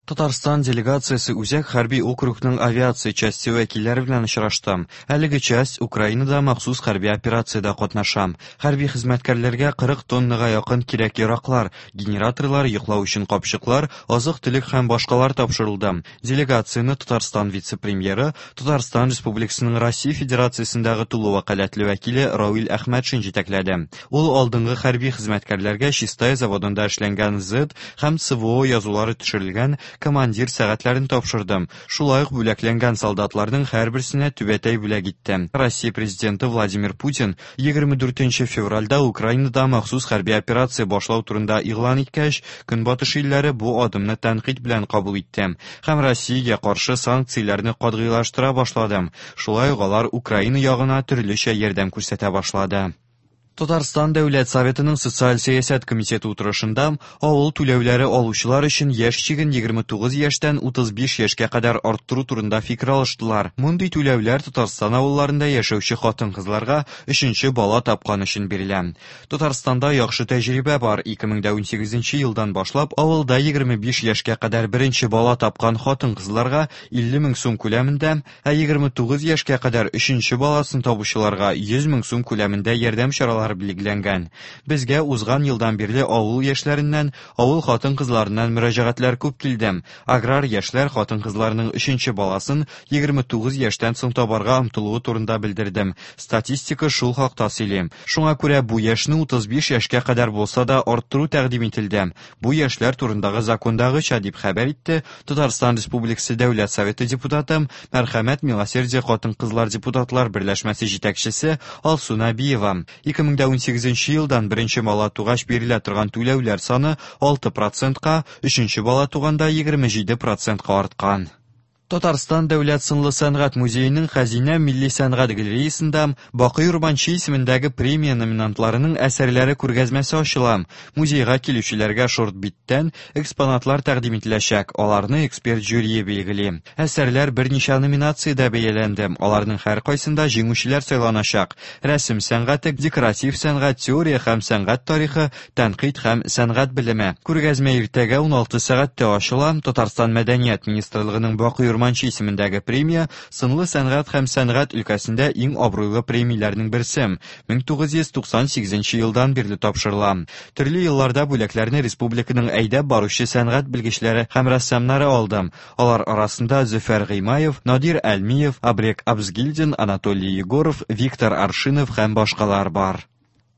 Татарстан делегациясе Үзәк хәрби округның авиация часте вәкилләре белән очрашты. Әлеге часть Украинада махсус хәрби операциядә катнаша. Хәрби хезмәткәрләргә 40 тоннага якын кирәк-яраклар, генераторлар, йоклау өчен капчыклар, азык-төлек һәм башкалар тапшырылды. Делегацияне Татарстан вице-премьеры, Татарстан Республикасының Россия Федерациясендәге тулы вәкаләтле вәкиле Равил Әхмәтшин җитәкләде. Ул алдынгы хәрби хезмәткәрләргә Чистай заводында эшләнгән Z һәм СВО язулары төшерелгән командир сәгатьләрен тапшырды. Шулай ук бүләкләнгән солдатларның һәрберсенә түбәтәй бүләк итте. Россия президенты Владимир Путин 24 февральдә Украинада махсус хәрби операция башлау турында игълан иткәч, Көнбатыш илләре бу адымны тәнкыйть белән кабул итте һәм Россиягә каршы санкцияләрне катгыйлаштыра башлады. Шулай ук алар Украина ягына төрлечә ярдәм күрсәтә башлады. Татарстан Дәүләт Советының Социаль сәясәт комитеты утырышында авыл түләүләре алучылар өчен яшь чиген 29 яшьтән 35 яшькә кадәр арттыру турында фикер алыштылар. Мондый түләүләр Татарстан авылларында яшәүче хатын-кызларга өченче бала тапкан өчен бирелә. Татарстанда яхшы тәҗрибә бар. 2018 елдан башлап авылда 25 яшькә кадәр беренче бала тапкан хатын-кызларга 50 мең сум күләмендә, ә 29 яшькә кадәр өченче баласын табучыларга 100 мең сум күләмендә ярдәм чаралары билгеләнгән. Безгә узган елдан бирле авыл яшьләреннән, авыл хатын-кызларыннан мөрәҗәгатьләр күп килде. Аграр яшьләр хатын-кызларның өченче баласын 29 яшьтән соң табарга омтылуы турында белдерде. Статистика шул хакта сөйли. Шуңа күрә бу яшьне 35 яшькә кадәр булса да арттыру тәкъдим ителде. Бу яшьләр турындагы закондагыча, дип хәбәр итте Татарстан Республикасы Дәүләт Советы депутаты, Мәрхәмәт Милосердие хатын-кызлар депутатлар берләшмәсе җитәкчесе Алсу Нәбиева. 2018 елдан беренче бала тугач бирелә торган түләүләр саны 6 процентка, өченче бала туганда 27 процентка арткан. Татарстан дәүләт сынлы сәнгать музееның Хәзинә милли сәнгать галереясында Бакый Урманче исемендәге премия номинантларының әсәрләре күргәзмәсе ачыла. Музейга килүчеләргә шорт-биттән экспонатлар тәкъдим ителәчәк, аларны эксперт жюрие билгели. Әсәрләр берничә номинациядә бәяләнде, аларның һәркайсында җиңүчеләр сайланачак. Рәсем сәнгате, декоратив сәнгать, теория һәм сәнгать тарихы, тәнкыйть һәм сәнгать белеме. Күргәзмә иртәгә 16 сәгатьтә ачыла. Татарстан Мәдәният министрлыгының Бакый Урманче исемендәге премия сынлы сәнгать һәм сәнгать өлкәсендә иң абруйлы премияләрнең берсе. 1998 елдан бирле тапшырыла. Төрле елларда бүләкләрне республиканың әйдәп баручы сәнгать белгечләре һәм рәссамнары алды. Алар арасында Зөфәр Гыймаев, Надир Әлмиев, Абрек Абзгильдин, Анатолий Егоров, Виктор Аршинов һәм башкалар бар.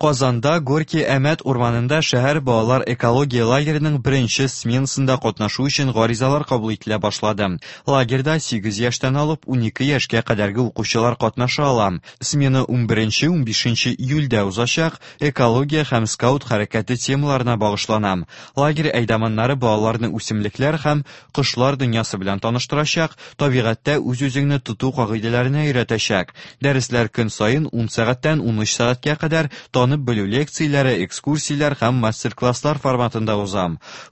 Казанда Горький Әмәт урманында шәһәр балалар экология лагереның беренче сменасында катнашу өчен гаризалар кабул ителә башлады. Лагерьда 8 яшьтән алып 12 яшькә кадәрге укучылар катнаша ала. Смена 11-15 июльдә узачак, экология һәм скаут хәрәкәте темаларына багышлана. Лагерь әйдаманнары балаларны үсемлекләр һәм кошлар дөньясы белән таныштырачак, табигатьтә үз-үзеңне тоту кагыйдәләренә өйрәтәчәк. Дәресләр көн саен 10 сәгатьтән 13 сәгатькә кадәр танып белү лекцияләре, экскурсияләр һәм мастер-класслар форматында уза.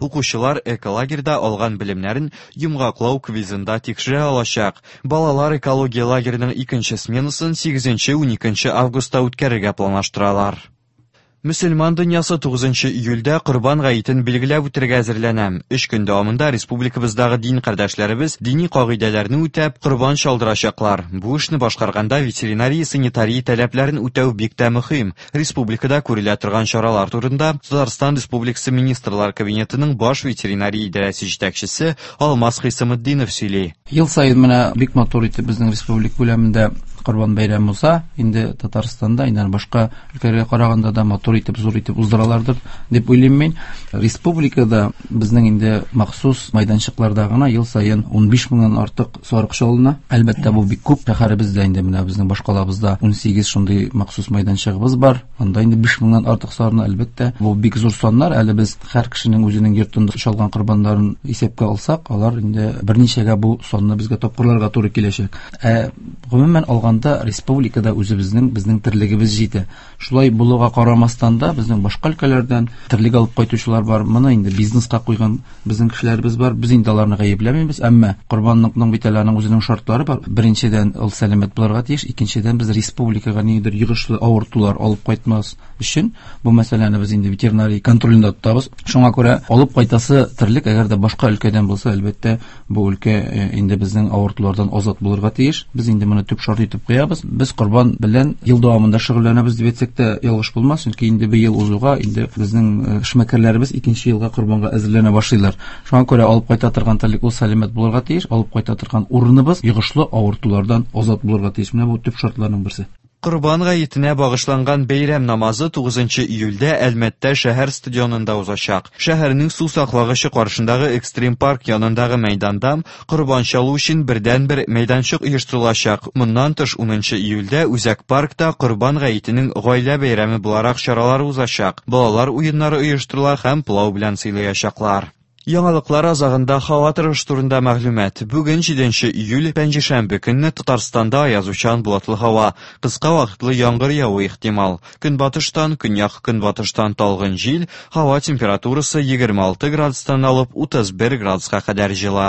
Укучылар эколагерьда алган белемнәрен йомгаклау квизында тикшерә алачак. Балалар экология лагереның икенче сменасын 8-12 августта үткәрергә планлаштыралар. Мөселман дөньясы 9 июльдә Корбан гаетен билгеләп үтәргә әзерләнә. Өч көн дәвамында республикабыздагы дин кардәшләребез дини кагыйдәләрне үтәп, корбан чалдырачаклар. Бу эшне башкарганда ветеринария-санитария таләпләрен үтәү бик тә мөһим. Республикада күрелә торган чаралар турында Татарстан Республикасы Министрлар Кабинетының баш ветеринария идарәсе җитәкчесе Алмаз Хисаметдинов сөйли. Ел саен менә бик матур итеп безнең республика күләмендә Корбан бәйрәме уза. Инде Татарстанда, инде башка өлкәләргә караганда да матур итеп, зур итеп уздыралардыр дип уйлыйм мин. Республикада безнең инде махсус майданчыкларда гына ел саен 15 меңнән артык сарык чалына. Әлбәттә, бу бик күп. Шәһәребездә инде менә безнең башкалабызда 18 шундый махсус майданчыгыбыз бар. Анда инде 5 меңнән артык сарыны, әлбәттә, бу бик зур саннар. Әле без һәр кешенең үзенең йортында чалган корбаннарын исәпкә алсак, алар инде берничәгә бу санны безгә тапкырларга туры киләчәк. Ә гомумән алганда республикада үзебезнең безнең терлегебез җитә. Шулай булуга карамастан да безнең башка өлкәләрдән терлек алып кайтучылар бар. Моны инде бизнеска куйган безнең кешеләребез бар. Без инде аларны гаепләмибез, әмма корбанлыкның бит әле аның үзенең шартлары бар. Беренчедән, ул сәламәт булырга тиеш, икенчедән, без республикага ниндидер йогышлы авыртулар алып кайтмас Өчен бу мәсьәләне без инде ветеринария контролендә тотабыз. Шуңа күрә алып кайтасы терлек, әгәр дә башка өлкәдән булса, әлбәттә, бу өлкә инде безнең авыртулардан азат булырга тиеш. Без инде моны төп шарт итеп куябыз. Без корбан белән ел дәвамында шөгыльләнәбез дип әйтсәк тә ялгыш булмас, чөнки инде бер ел узуга инде безнең эшмәкәрләребез икенче елга корбанга әзерләнә башлыйлар. Шуңа күрә алып кайта торган терлек ул сәламәт булырга тиеш, алып кайта торган урыныбыз йогышлы авыртулардан азат булырга тиеш. Менә бу төп шартларның берсе. Корбан гаетенә багышланган бәйрәм намазы 9 июльдә Әлмәттә шәһәр стадионында узачак. Шәһәрнең су саклагычы каршындагы экстрим парк янындагы мәйданда корбан чалу өчен бердәнбер мәйданчык оештырылачак. Моннан тыш 10 июльдә Үзәк паркта Корбан гаетенең гаилә бәйрәме буларак чаралар узачак. Балалар уеннары оештырыла һәм пылау белән сыйлаячаклар. Яңалыклар азагында һава торышы турында мәгълүмат. Бүген 7 июль, пәнҗешәмбе көнне Татарстанда аязучан болытлы һава, кыска вакытлы яңгыр явуы ихтимал. Көнбатыштан, көньяк-көнбатыштан талгын җил, һава температурасы 26 градустан алып 31 градуска кадәр җылы.